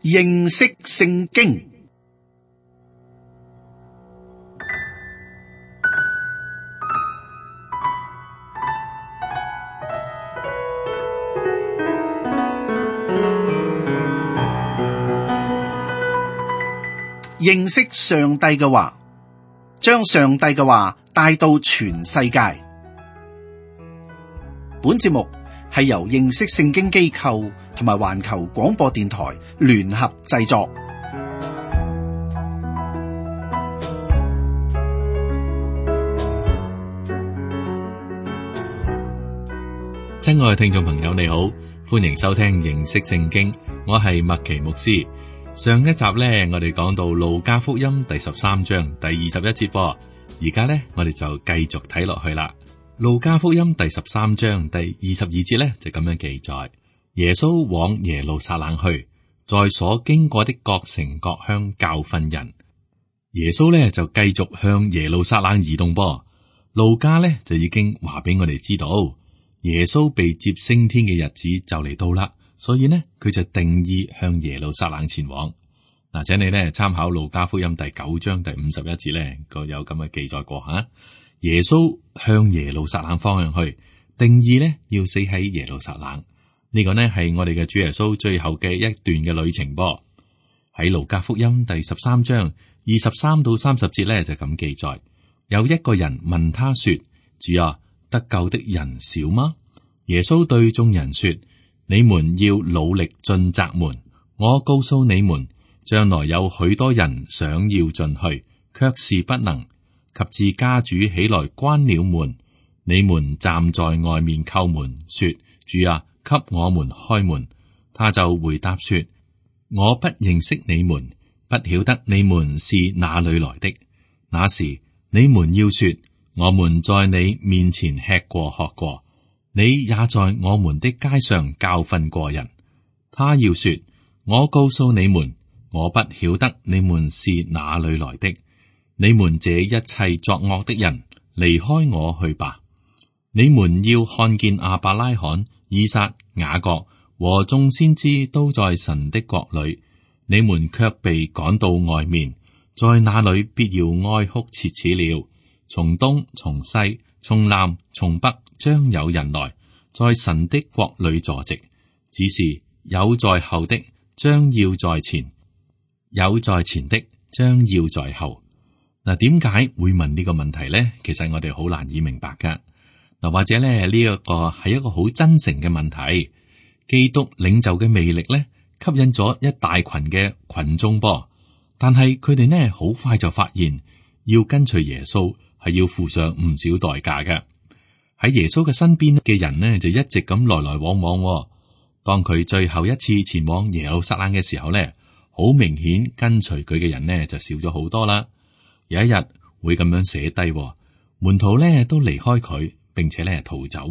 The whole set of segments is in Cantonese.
認識聖經。認識上帝嘅話，將上帝嘅話帶到全世界。本節目係由認識聖經機構同埋環球廣播電台聯合製作。親愛嘅聽眾朋友，你好，歡迎收聽認識聖經，我係麥奇牧師。上一集呢，我哋講到路加福音第13章第21節噃，而家呢，我哋就繼續睇落去啦。路加福音第13章第22節呢，就咁樣記載：耶穌往耶路撒冷去，在所經過的各城各鄉教訓人。耶穌呢，就繼續向耶路撒冷移動噃。路加呢，就已經話俾我哋知道，耶穌被接升天嘅日子就嚟到啦。所以呢，佢就定意向耶路撒冷前往。嗱，請你呢參考路加福音第9章第51節呢，個有咁嘅記載過吓。耶穌向耶路撒冷方向去，定意呢要死喺耶路撒冷。呢個呢係我哋嘅主耶穌最後嘅一段嘅旅程噃。喺路加福音第13章23到30節呢，就咁記載：有一個人問他說：主啊，得救的人少嗎？耶穌對眾人說：你們要努力進窄門，我告訴你們，將來有許多人想要進去，卻是不能。及至家主起來關了門，你們站在外面叩門，說：主啊，給我們開門。他就回答說：我不認識你們，不曉得你們是哪裏來的。那時你們要說：我們在你面前吃過喝過，你也在我們的街上教訓過人。他要說：我告訴你們，我不曉得你們是哪裏來的。你們這一切作惡的人，離開我去吧。你們要看見亞伯拉罕、以撒、雅各和眾先知都在神的國裏，你們卻被趕到外面，在那裏必要哀哭切齒了。從東從西從南從北將有人來，在神的國裏坐席。只是有在後的將要在前，有在前的將要在後。嗱，點解會問呢個問題呢？其實我哋好難以明白噶。嗱，或者咧呢一個係一個好真誠嘅問題。基督領袖嘅魅力咧，吸引咗一大群嘅群眾噃。但係佢哋呢，好快就發現，要跟隨耶穌係要付上唔少代價嘅。喺耶穌嘅身邊嘅人呢，就一直咁來來往往。當佢最後一次前往耶路撒冷嘅時候呢，好明顯跟隨佢嘅人呢，就少咗好多啦。有一日會咁樣寫低，門徒咧都離開佢，並且咧逃走。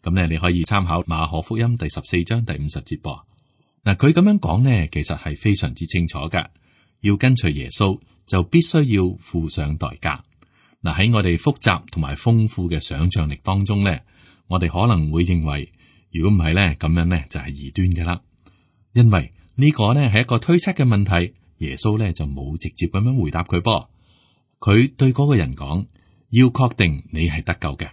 咁咧你可以參考馬可福音第14章第50節噃。嗱，佢咁樣講呢，其實係非常之清楚噶。要跟隨耶穌，就必須要付上代價。嗱，喺我哋複雜同埋豐富嘅想象力當中咧，我哋可能會認為，如果唔係咧，咁樣咧就係異端噶啦。因為呢個呢係一個推測嘅問題，耶穌咧就冇直接咁樣回答佢噃。佢對嗰個人講：要確定你係得救嘅。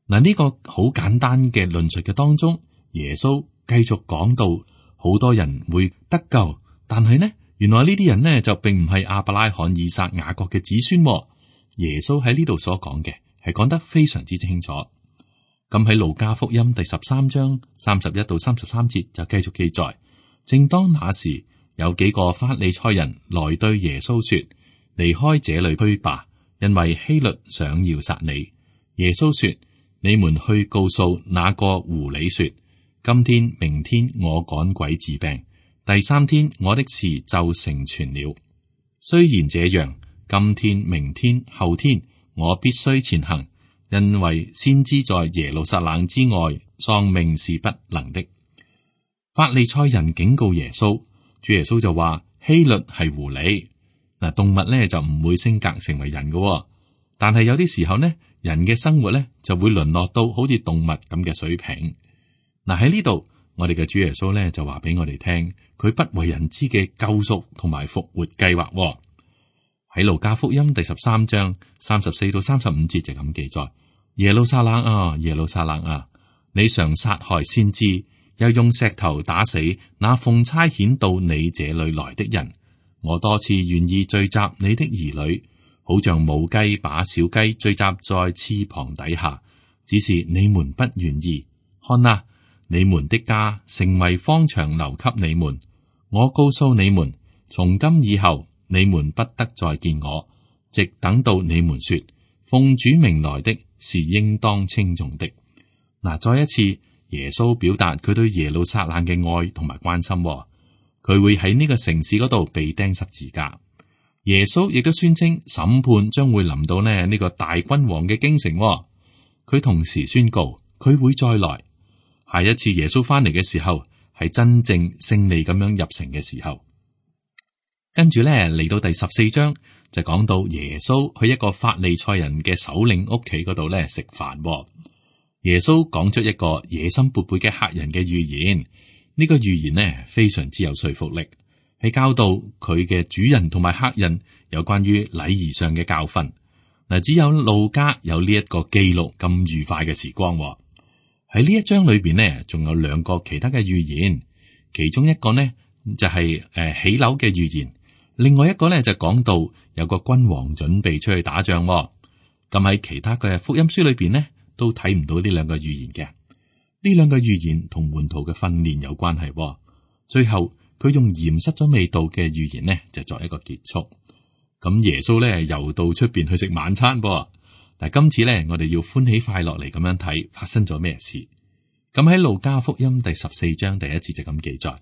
嗱，呢個好簡單嘅論述嘅當中，耶穌繼續講到好多人會得救，但係呢，原來呢啲人呢就並唔係亞伯拉罕、以撒、雅各嘅子孫。耶穌喺呢度所講嘅係講得非常之清楚。咁喺路加福音第13章31到33節就繼續記載：正當那時，有幾個法利賽人來對耶穌說：離開這裏去吧，因為希律想要殺你。耶穌說：你們去告訴那個狐狸說：今天明天我趕鬼治病，第3天我的事就成全了。雖然這樣，今天明天後天我必須前行，因為先知在耶路撒冷之外喪命是不能的。法利賽人警告耶穌，主耶穌就話：希律係狐狸。嗱，動物咧就唔會升格成為人嘅，但係有啲時候呢，人嘅生活咧就會淪落到好似動物咁嘅水平。嗱，喺呢度，我哋嘅主耶穌咧就話俾我哋聽，佢不為人知嘅救贖同埋復活計劃喎。喺路加福音第13章34到35節就咁記載：耶路撒冷啊，耶路撒冷啊，你常殺害先知，又用石頭打死那奉差遣到你這裏來的人。我多次願意聚集你的兒女，好像母雞把小雞聚集在翅膀底下，只是你們不願意。看啊，你們的家成為荒場，留給你們。我告訴你們，從今以後你們不得再見我，直等到你們說，奉主名來的是應當稱頌的。嗱，再一次，耶穌表達佢對耶路撒冷嘅愛同埋關心。佢會喺呢個城市嗰度被釘十字架。耶穌亦都宣稱審判將會臨到呢個大君王嘅京城。佢同時宣告佢會再來。下一次耶穌翻嚟嘅時候，係真正勝利咁樣入城嘅時候。跟住咧嚟到第14章就講到耶穌去一個法利賽人嘅首領屋企嗰度咧食飯。耶穌講出一個野心勃勃嘅客人嘅預言。呢個預言呢非常之有說服力，係教導佢嘅主人同埋客人有關於禮儀上嘅教訓。嗱，只有路加有呢一個記錄咁愉快嘅時光。喺呢一章裏邊呢，仲有兩個其他嘅預言，其中一個呢就係起樓嘅預言，另外一個呢就講到有個君王準備出去打仗。咁喺其他嘅福音書裏邊呢，都睇唔到呢兩個預言嘅。呢兩個預言同門徒嘅訓練有關係。最後佢用鹽塞咗味道嘅預言呢，就作一個結束。咁耶穌咧又到出邊去食晚餐噃。嗱，今次咧我哋要歡喜快樂嚟咁樣睇發生咗咩事。咁喺路加福音第14章第1節就咁記載：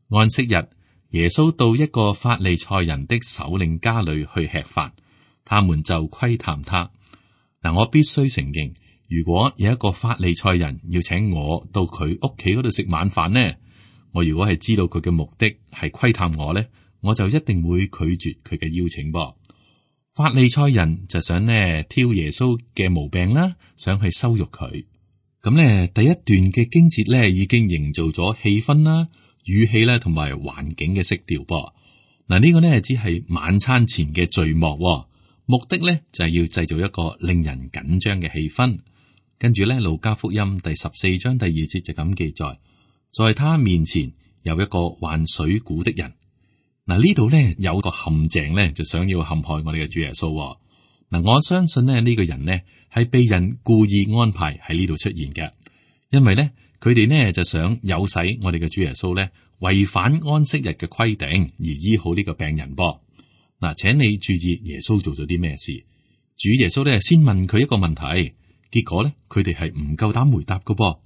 安息日，耶穌到一個法利賽人的首領家裏去吃飯，他們就窺探他。嗱，我必須承認，如果有一個法利賽人要請我到佢屋企嗰度食晚飯呢，我如果係知道佢嘅目的係窺探我呢，我就一定會拒絕佢嘅邀請噃。法利賽人就想呢挑耶穌嘅毛病啦，想去羞辱佢。咁呢第一段嘅經節呢已經營造咗氣氛啦、語氣啦同埋環境嘅色調噃。嗱，呢個呢只係晚餐前嘅序幕，目的呢就係要製造一個令人緊張嘅氣氛。跟住咧，路加福音第14章第2節就咁記載，在他面前有一個患水臌的人。嗱，呢度咧有個陷阱咧，就想要陷害我哋嘅主耶穌。嗱，我相信咧呢個人呢係被人故意安排喺呢度出現嘅，因為咧佢哋呢就想誘使我哋嘅主耶穌咧違反安息日嘅規定而醫好呢個病人噃。嗱，請你注意耶穌做咗啲咩事？主耶穌咧先問佢一個問題。結果咧，佢哋係唔夠膽回答嘅噃。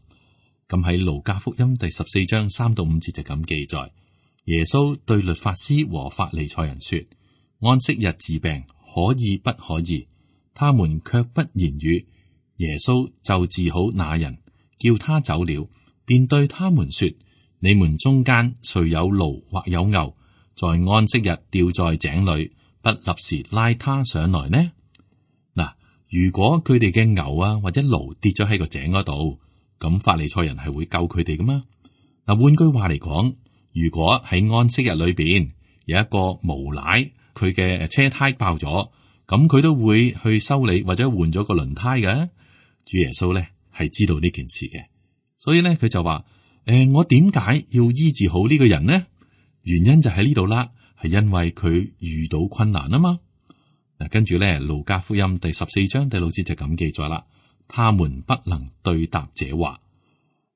咁喺路加福音第14章3到5節就咁記載：耶穌對律法師和法利賽人說，安息日治病可以不可以？他們卻不言語。耶穌就治好那人，叫他走了，便對他們說：你們中間誰有驢或有牛，在安息日掉在井裏，不立時拉他上來呢？如果佢哋嘅牛啊或者驢跌咗喺個井嗰度，咁法利賽人係會救佢哋噶嘛？嗱，換句話嚟講，如果喺安息日裏邊有一個無賴，佢嘅車胎爆咗，咁佢都會去修理或者換咗個輪胎嘅。主耶穌咧係知道呢件事嘅，所以咧佢就話：我點解要醫治好呢個人呢？原因就喺呢度啦，係因為佢遇到困難啊嘛。嗱，跟住咧，路加福音第14章第6節就咁記載啦。他們不能對答這話。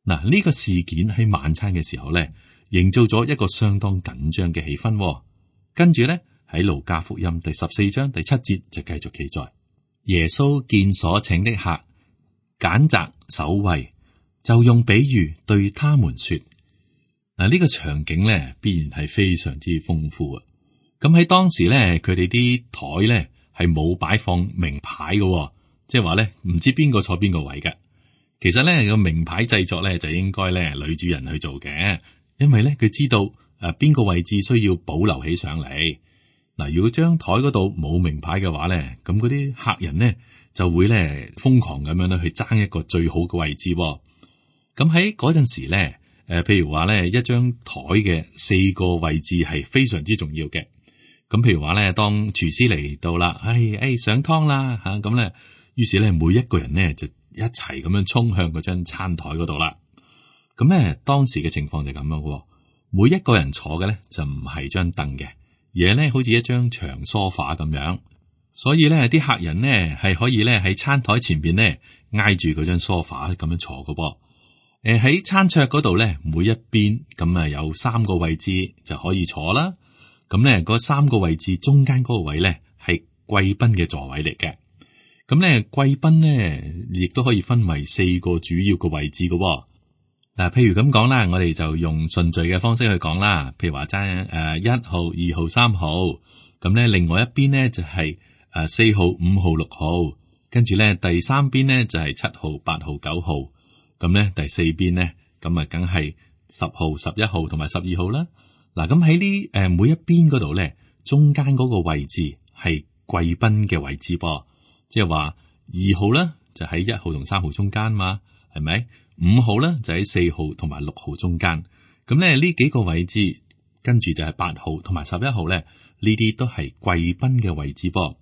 嗱，呢個事件喺晚餐嘅時候咧，營造咗一個相當緊張嘅氣氛。跟住咧，喺路加福音第14章第7節就繼續記載：耶穌見所請的客揀擇首位，就用比喻對他們說。嗱，呢個場景咧，必然係非常之豐富啊！咁喺當時咧，佢哋啲台咧係冇擺放名牌嘅，即係話咧唔知邊個坐邊個位嘅。其實咧個名牌製作咧就應該咧女主人去做嘅，因為咧佢知道邊個位置需要保留起上嚟。嗱，如果張台嗰度冇名牌嘅話咧，咁嗰啲客人咧就會咧瘋狂咁樣咧去爭一個最好嘅位置。咁喺嗰陣時咧，譬如話咧，一張台嘅4個位置係非常之重要嘅。咁譬如話咧，當廚師嚟到啦，上湯啦吓，咁咧，於是咧每一個人咧就一齊咁樣衝向嗰張餐台嗰度啦。咁咧當時嘅情況就咁樣喎，每一個人坐嘅咧就唔係張凳嘅，而係咧好似一張長梳化咁樣。所以咧啲客人咧係可以咧喺餐台前邊咧挨住嗰張梳化咁樣坐嘅噃。喺餐桌嗰度咧，每一邊咁啊有3個位置就可以坐啦。咁咧嗰3個位置中間嗰個位咧係貴賓嘅座位嚟嘅。咁咧貴賓咧亦都可以分為4個主要嘅位置嘅喎。嗱，譬如咁講啦，我哋就用順序嘅方式去講啦。譬如話爭1號、2號、3號，咁咧另外一邊咧就係4號、5號、6號，跟住咧第3邊咧就係7號、8號、9號。咁咧第4邊咧，咁啊梗係10號、11號同埋12號啦。嗱，咁喺呢每一邊嗰度咧，中間嗰個位置係貴賓嘅位置噃，即係話2號咧就喺1號同3號中間嘛，係咪？5號咧就喺4號同埋6號中間。咁咧呢幾個位置，跟住就係8號同埋11號咧，呢啲都係貴賓嘅位置噃。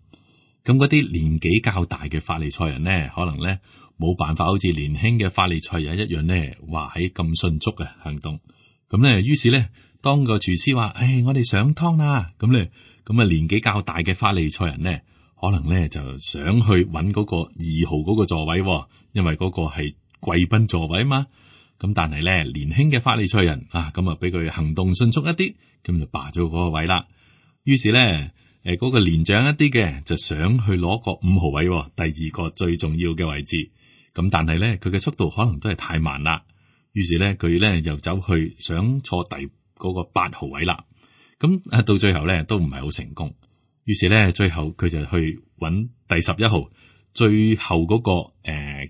咁嗰啲年紀較大嘅法利賽人咧，可能咧冇辦法好似年輕嘅法利賽人一樣咧，話喺咁迅速嘅行動。咁咧，於是咧，當個廚師話：我哋上湯啦！咁咧，咁啊年紀較大嘅法利賽人咧，可能咧就想去揾嗰個2號嗰個座位，因為嗰個係貴賓座位嘛。咁但係咧，年輕嘅法利賽人啊，咁啊俾佢行動迅速一啲，咁就霸咗嗰個位啦。於是咧，嗰個年長一啲嘅就想去攞個5號位，第2個最重要嘅位置。咁但係咧，佢嘅速度可能都係太慢啦。於是咧，佢咧又走去想坐第嗰個8號位啦。咁到最後咧都唔係好成功。於是咧，最後佢就去揾第11號，最後嗰個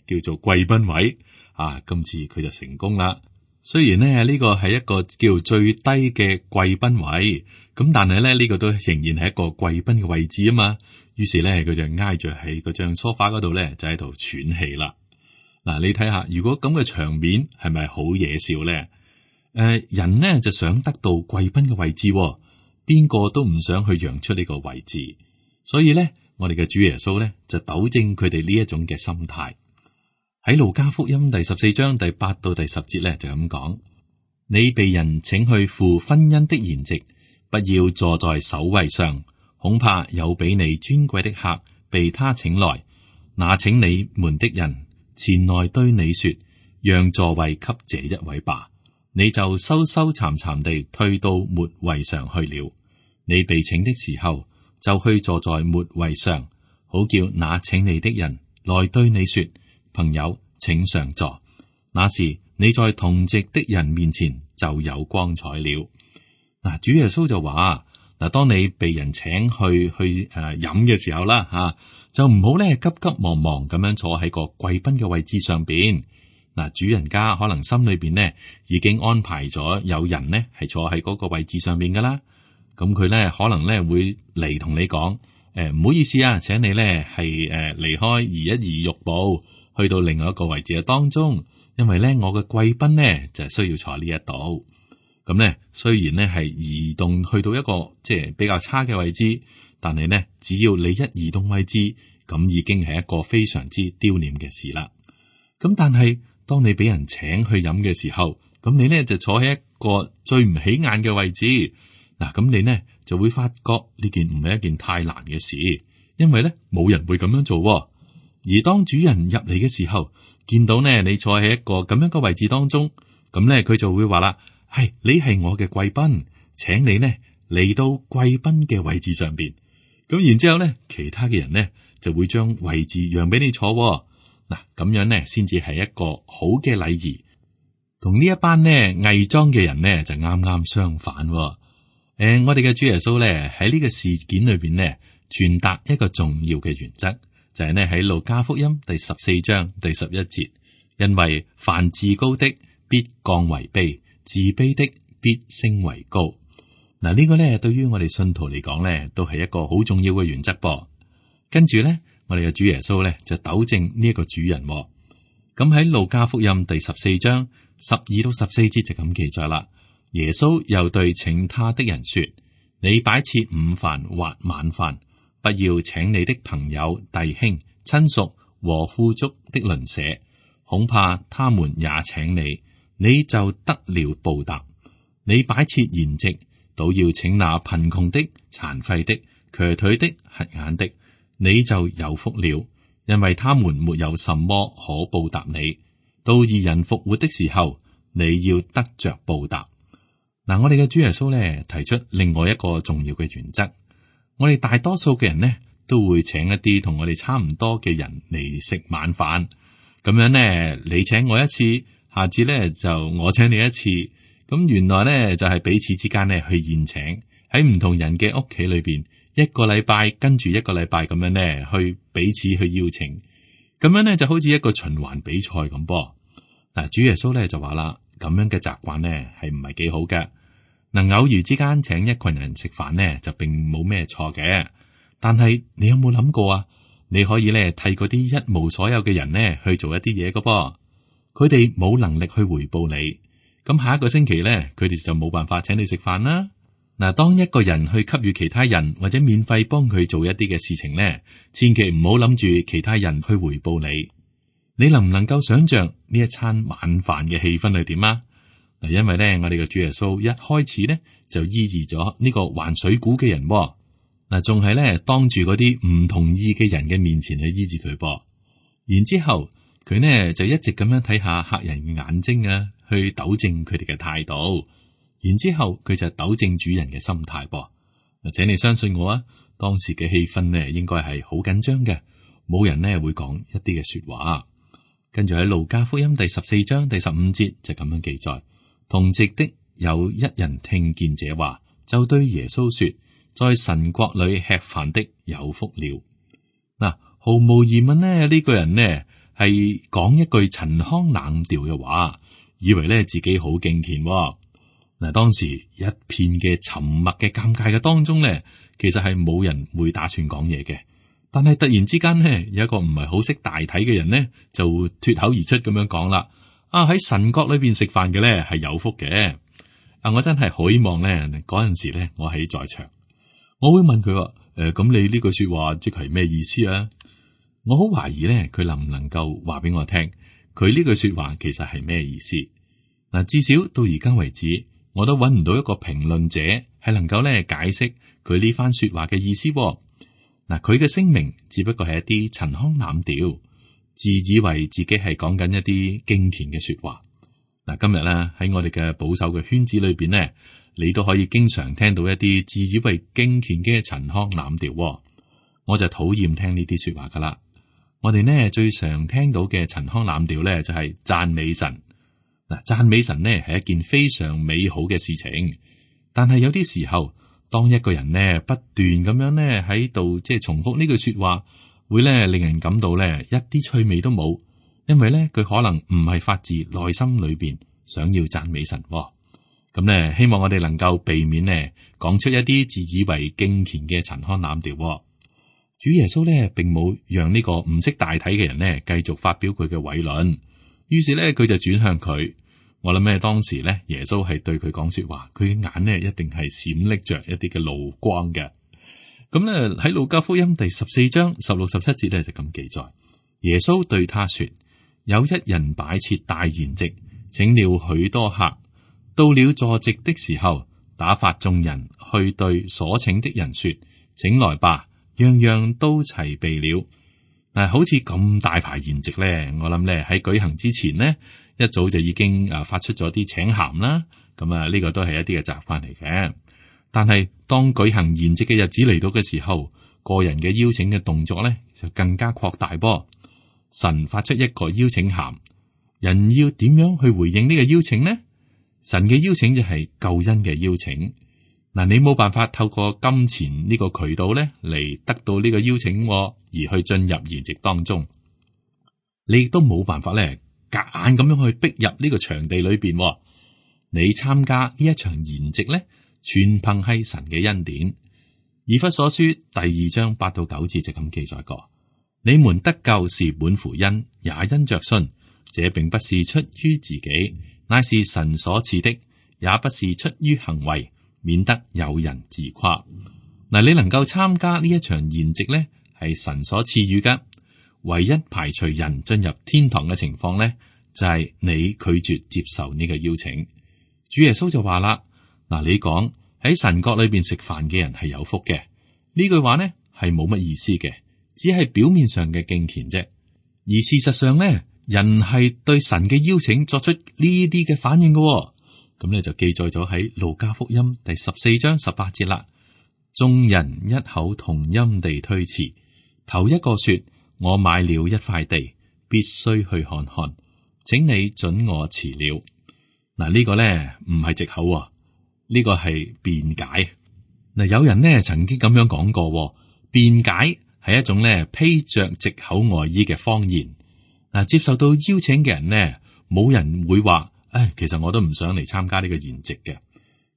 叫做貴賓位啊。今次佢就成功啦。雖然咧呢個係一個叫最低嘅貴賓位，咁但係咧呢個都仍然係一個貴賓嘅位置啊嘛。於是咧佢就挨住喺嗰張梳化嗰度咧，就喺度喘氣啦。嗱，你睇下，如果咁嘅場面係咪好惹笑咧？人呢就想得到貴賓嘅位置，邊個都唔想去讓出呢個位置。所以咧，我哋嘅主耶穌咧就糾正佢哋呢一種嘅心態。喺路加福音第14章第8到第10節咧就咁講：你被人請去赴婚姻的筵席，不要坐在首位上，恐怕有比你尊貴的客被他請來，那請你們的人前來對你說，讓座位給這一位吧，你就羞羞慚慚地退到末位上去了。你被請的時候，就去坐在末位上，好叫那請你的人來對你說，朋友，請上座。那時你在同席的人面前就有光彩了。嗱，主耶穌就話：嗱，當你被人請去飲嘅時候啦，吓就唔好咧急急忙忙咁樣坐喺個貴賓嘅位置上邊。嗱，主人家可能心裏邊呢已經安排咗有人呢係坐喺嗰個位置上邊噶啦。咁佢咧可能咧會嚟同你講：唔好意思啊，請你咧係離開移一移玉步，去到另外一個位置嘅當中，因為咧我嘅貴賓呢就係需要坐呢一度。咁咧雖然咧係移動去到一個即係比較差嘅位置，但係呢只要你一移動位置，咁已經係一個非常之丟臉嘅事啦。咁但係當你俾人請去飲嘅時候，咁你呢就坐喺一個最唔起眼嘅位置。嗱，咁你呢就會發覺呢件唔係一件太難嘅事，因為呢冇人會咁樣做。而當主人入嚟嘅時候，見到呢你坐喺一個咁樣嘅位置當中，咁呢佢就會話啦：係，你係我嘅貴賓，請你呢嚟到貴賓嘅位置上邊。咁然之後呢，其他嘅人呢就會將位置讓俾你坐。嗱，咁樣呢先至係一個好嘅禮儀。同呢一班呢偽裝嘅人呢就啱啱相反。我哋嘅主耶穌咧喺呢個事件裏邊呢傳達一個重要嘅原則，就係呢喺路加福音第14章第11節，因為凡自高的必降為卑，自卑的必升為高。嗱，呢個咧對於我哋信徒嚟講咧都係一個好重要嘅原則噃。跟住咧，我哋嘅主耶穌咧就糾正呢一個主人。咁喺路加福音第14章12到14節就咁記載啦。耶穌又對請他的人說：你擺設午飯或晚飯，不要請你的朋友、弟兄、親屬和富足的鄰舍，恐怕他們也請你，你就得了報答。你擺設筵席，倒要請那貧窮的、殘廢的、瘸腿的、瞎眼的，你就有福了，因為他們沒有什麼可報答你。到義人復活的時候，你要得着報答。嗱，我哋嘅主耶穌咧提出另外一個重要嘅原則，我哋大多數嘅人呢，都會請一啲同我哋差唔多嘅人嚟食晚飯，咁樣呢，你請我一次，下次呢就我請你一次，咁原來呢就係彼此之間呢去宴請，喺唔同人嘅屋企裏邊，一個禮拜跟住一個禮拜咁樣呢去彼此去邀請，咁樣呢就好似一個循環比賽咁噃。嗱，主耶穌呢就話啦，咁樣嘅習慣呢係唔係幾好嘅。嗱，偶然之間請一群人食飯呢，就並冇咩錯嘅。但係你有冇諗過啊？你可以咧替嗰啲一無所有嘅人呢去做一啲嘢嘅噃，佢哋冇能力去回報你。咁下一個星期咧，佢哋就冇辦法請你食飯啦。嗱，當一個人去給予其他人或者免費幫佢做一啲嘅事情咧，千祈唔好諗住其他人去回報你。你能唔能夠想象呢一餐晚飯嘅氣氛係點啊？嗱，因為咧，我哋嘅主耶穌一開始咧就醫治咗呢個患水臌嘅人，嗱，仲係咧當住嗰啲唔同意嘅人嘅面前去醫治佢噃。然之後佢呢就一直咁樣睇下客人嘅眼睛啊，去糾正佢哋嘅態度。然之後佢就糾正主人嘅心態噃。嗱，請你相信我啊，當時嘅氣氛呢應該係好緊張嘅，冇人呢會講一啲嘅說話。跟住喺路加福音第14章第15節就咁樣記載。同席的有一人聽見這話，就對耶穌說：在神國裏吃飯的有福了。嗱，毫無疑問呢，呢個人呢係講一句陳腔濫調嘅話，以為呢自己好敬虔。嗱，當時一片嘅沉默嘅尷尬嘅當中呢，其實係冇人會打算講嘢嘅。但係突然之間呢，有一個唔係好識大體嘅人呢，就脫口而出咁樣講啦。喺神國裏邊食飯嘅咧係有福嘅。我真係好希望咧嗰陣時咧我喺在場，我會問佢話：咁你呢句說話即係咩意思啊？我好懷疑咧佢能唔能夠話俾我聽，佢呢句說話其實係咩意思？嗱，至少到而家為止，我都揾唔到一個評論者係能夠咧解釋佢呢番說話嘅意思。嗱，佢嘅聲明只不過係一啲陳腔濫調。自以為自己係講緊一啲敬虔嘅說話。嗱，今日咧喺我哋嘅保守嘅圈子裏邊呢，你都可以經常聽到一啲自以為敬虔嘅陳腔濫調。我就討厭聽呢啲說話噶啦。我哋呢最常聽到嘅陳腔濫調咧就係讚美神。嗱，讚美神呢係一件非常美好嘅事情，但係有啲時候，當一個人呢不斷咁樣呢喺度即係重複呢句說話，會咧令人感到咧一啲趣味都冇，因為咧佢可能唔係發自內心裏邊想要讚美神。咁咧希望我哋能夠避免呢講出一啲自以為敬虔嘅陳腔濫調。主耶穌咧並冇讓呢個唔識大體嘅人呢繼續發表佢嘅偉論，於是咧佢就轉向佢。我諗咧當時咧耶穌係對佢講說話，佢嘅眼呢一定係閃爍着一啲嘅怒光嘅。咁咧喺路加福音第14章16、17節咧就咁記載，耶穌對他說：有一人擺設大筵席，請了許多客，到了坐席的時候，打發眾人去對所請的人說：請來吧，樣樣都齊備了。嗱，好似咁大排筵席咧，我諗咧喺舉行之前呢，一早就已經發出咗啲請函啦。咁呢個都係一啲嘅習慣嚟嘅。但係當舉行筵席嘅日子嚟到嘅時候，個人嘅邀請嘅動作咧就更加擴大噃。神發出一個邀請函，人要點樣去回應呢個邀請呢？神嘅邀請就係救恩嘅邀請。嗱，你冇辦法透過金錢呢個渠道咧嚟得到呢個邀請，而去進入筵席當中。你亦都冇辦法咧夾硬咁樣去逼入呢個場地裏邊。你參加呢一場筵席咧，全憑係神嘅恩典。以弗所書第2章8到9節就咁記載過：你們得救是本乎恩，也因着信。這並不是出於自己，乃是神所賜的，也不是出於行為，免得有人自誇。嗱，你能夠參加呢一場筵席呢，係神所賜予噶。唯一排除人進入天堂嘅情況呢，就係你拒絕接受呢個邀請。主耶穌就話啦：嗱，你講喺神國裏邊食飯嘅人係有福嘅，呢句話呢係冇乜意思嘅，只係表面上嘅敬虔啫。而事實上呢，人係對神嘅邀請作出呢啲嘅反應嘅。咁呢就記載咗喺路加福音第14章18節啦。眾人一口同音地推辭，頭一個說：我買了一塊地，必須去看看，請你准我辭了。嗱，呢個呢唔係藉口，呢個係辯解。嗱，有人呢曾經咁樣講過，辯解係一種呢披着藉口外衣嘅謊言。嗱，接受到邀請嘅人呢，冇人會話：其實我都唔想嚟參加呢個筵席嘅。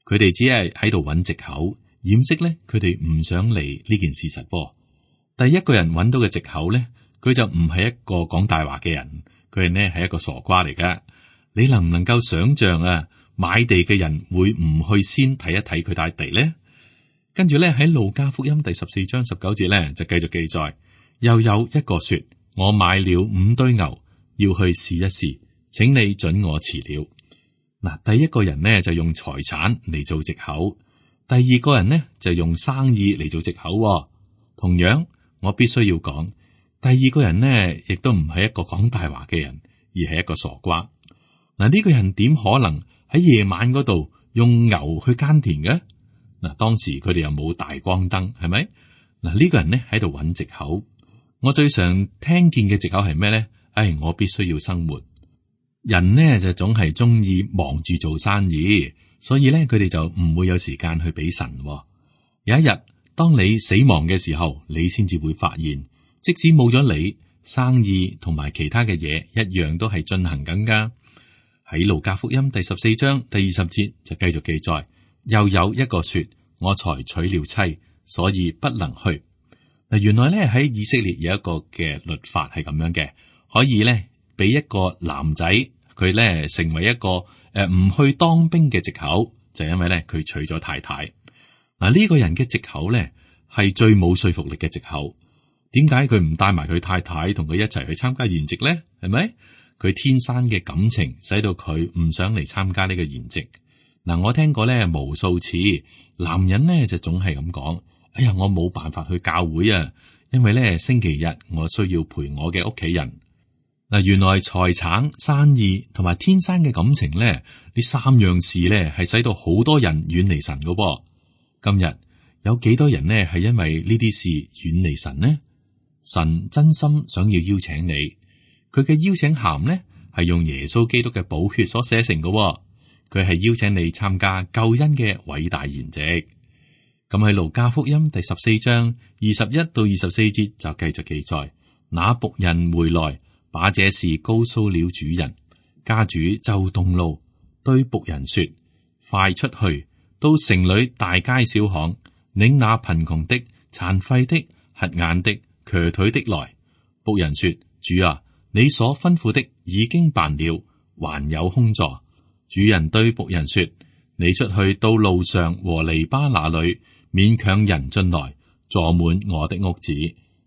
佢哋只係喺度揾藉口，掩飾呢佢哋唔想嚟呢件事實噃。第一個人揾到嘅藉口呢，佢就唔係一個講大話嘅人，佢係呢係一個傻瓜嚟噶。你能唔能夠想象買地嘅人會唔去先睇一睇佢塊地呢？跟住呢，喺路加福音第14章19節呢，就繼續記載，又有一個說：我買了5堆牛，要去試一試，請你准我辭了。嗱，第一個人呢就用財產嚟做藉口，第二個人呢就用生意嚟做藉口。同樣，我必須要講，第二個人呢亦都唔係一個講大話嘅人，而係一個傻瓜。嗱，呢個人點可能喺夜晚嗰度用牛去耕田嘅？嗱，當時佢哋又冇大光燈，係咪？嗱，呢個人呢喺度揾藉口。我最常聽見嘅藉口係咩咧？我必須要生活。人呢就總係中意忙住做生意，所以咧佢哋就唔會有時間去俾神。有一日，當你死亡嘅時候，你先至會發現，即使冇咗你，生意同埋其他嘅嘢一樣都係進行緊噶。喺路加福音第14章第20節就繼續記載，又有一個說：我才娶了妻，所以不能去。嗱，原來咧喺以色列有一個嘅律法係咁樣嘅，可以咧俾一個男仔佢咧成為一個唔去當兵嘅藉口，就因為咧佢娶咗太太。嗱，呢個人嘅藉口咧係最冇說服力嘅藉口。點解佢唔帶埋佢太太同佢一齊去參加筵席咧？係咪？佢天生嘅感情使到佢唔想嚟參加呢個筵席。嗱，我聽過咧無數次，男人咧就總係咁講：哎呀，我冇辦法去教會啊，因為咧星期日我需要陪我嘅屋企人。嗱，原來財產、生意同埋天生嘅感情咧，呢三樣事咧係使到好多人遠離神噶噃。今日有幾多人呢係因為呢啲事遠離神呢？神真心想要邀請你。佢嘅邀請函呢，係用耶穌基督嘅寶血所寫成嘅，佢係邀請你參加救恩嘅偉大筵席。咁喺路加福音第14章21到24節就繼續記載，那僕人回來，把這事告訴了主人，家主就動怒，對僕人說：快出去，到城裏大街小巷，領那貧窮的、殘廢的、瞎眼的、瘸腿的來。僕人說：主啊，你所吩咐的已經辦了，還有空座。主人對僕人說：你出去到路上和籬笆那裏，勉強人進來，坐滿我的屋子。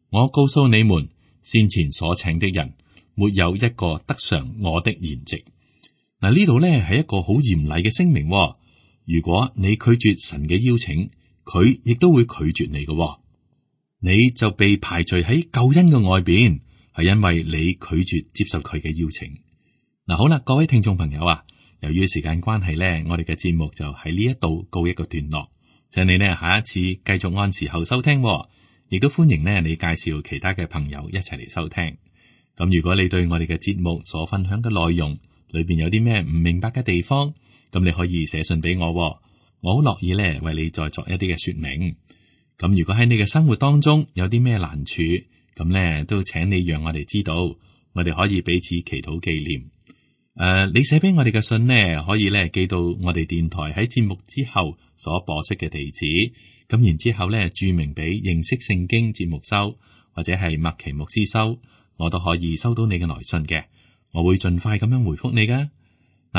我告訴你們，先前所請的人，沒有一個得嘗我的筵席。嗱，呢度呢係一個好嚴厲嘅聲明。如果你拒絕神嘅邀請，佢亦都會拒絕你嘅。你就被排除喺救恩嘅外邊，係因為你拒絕接受佢嘅邀請。嗱，好啦，各位聽眾朋友啊，由於時間關係呢，我哋嘅節目就喺呢一度告一個段落。請你呢下一次繼續按時候收聽，亦都歡迎呢你介紹其他嘅朋友一齊嚟收聽。咁如果你對我哋嘅節目所分享嘅內容裏邊有啲咩唔明白嘅地方，咁你可以寫信俾我，我好樂意呢為你再作一啲嘅說明。咁如果喺你嘅生活當中有啲咩難處，咁呢都請你讓我哋知道，我哋可以彼此祈禱紀念。你寫俾我哋嘅信呢，可以呢寄到我哋電台喺節目之後所播出嘅地址，咁然之後呢注明俾認識聖經節目收，或者係麥奇牧師收，我都可以收到你嘅來信嘅，我會盡快咁樣回覆你噶。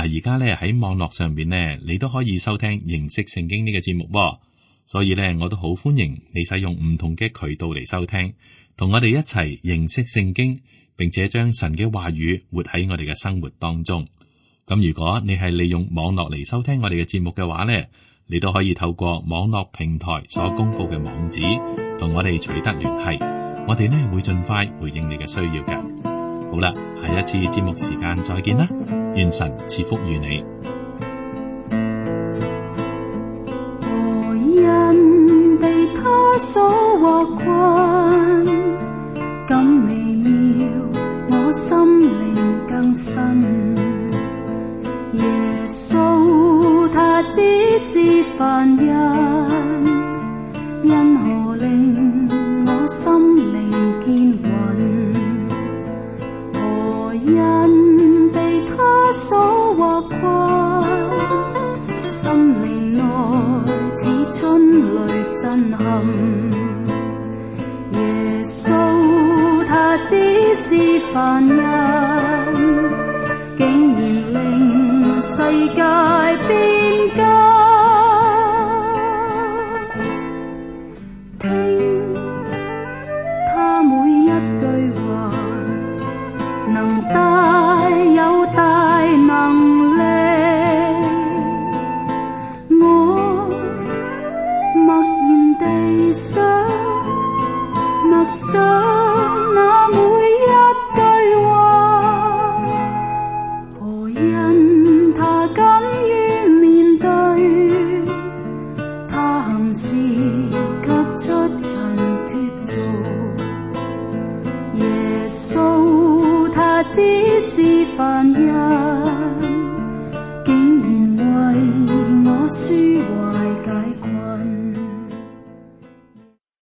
而家咧喺網絡上邊呢，你都可以收聽認識聖經呢個節目喎。所以咧，我都好歡迎你使用唔同嘅渠道嚟收聽，同我哋一齊認識聖經，並且將神嘅話語活喺我哋嘅生活當中。咁如果你係利用網絡嚟收聽我哋嘅節目嘅話呢，你都可以透過網絡平台所公布嘅網址，同我哋取得聯繫。我哋呢會盡快回應你嘅需要嘅。好啦，下一次節目時間再見啦，願神賜福於你。他所獲困，咁微妙，我心靈更新。耶穌他只是凡人，因何令我心靈堅穩？何因被他所獲困？心靈內似春雷震撼，耶穌他只是凡人，竟然令世界變更。聽他每一句話，能帶有大能力。默想那每一句話，何因他敢於面對？他行事卻出塵脫俗。耶穌他只是凡人，竟然為我抒懷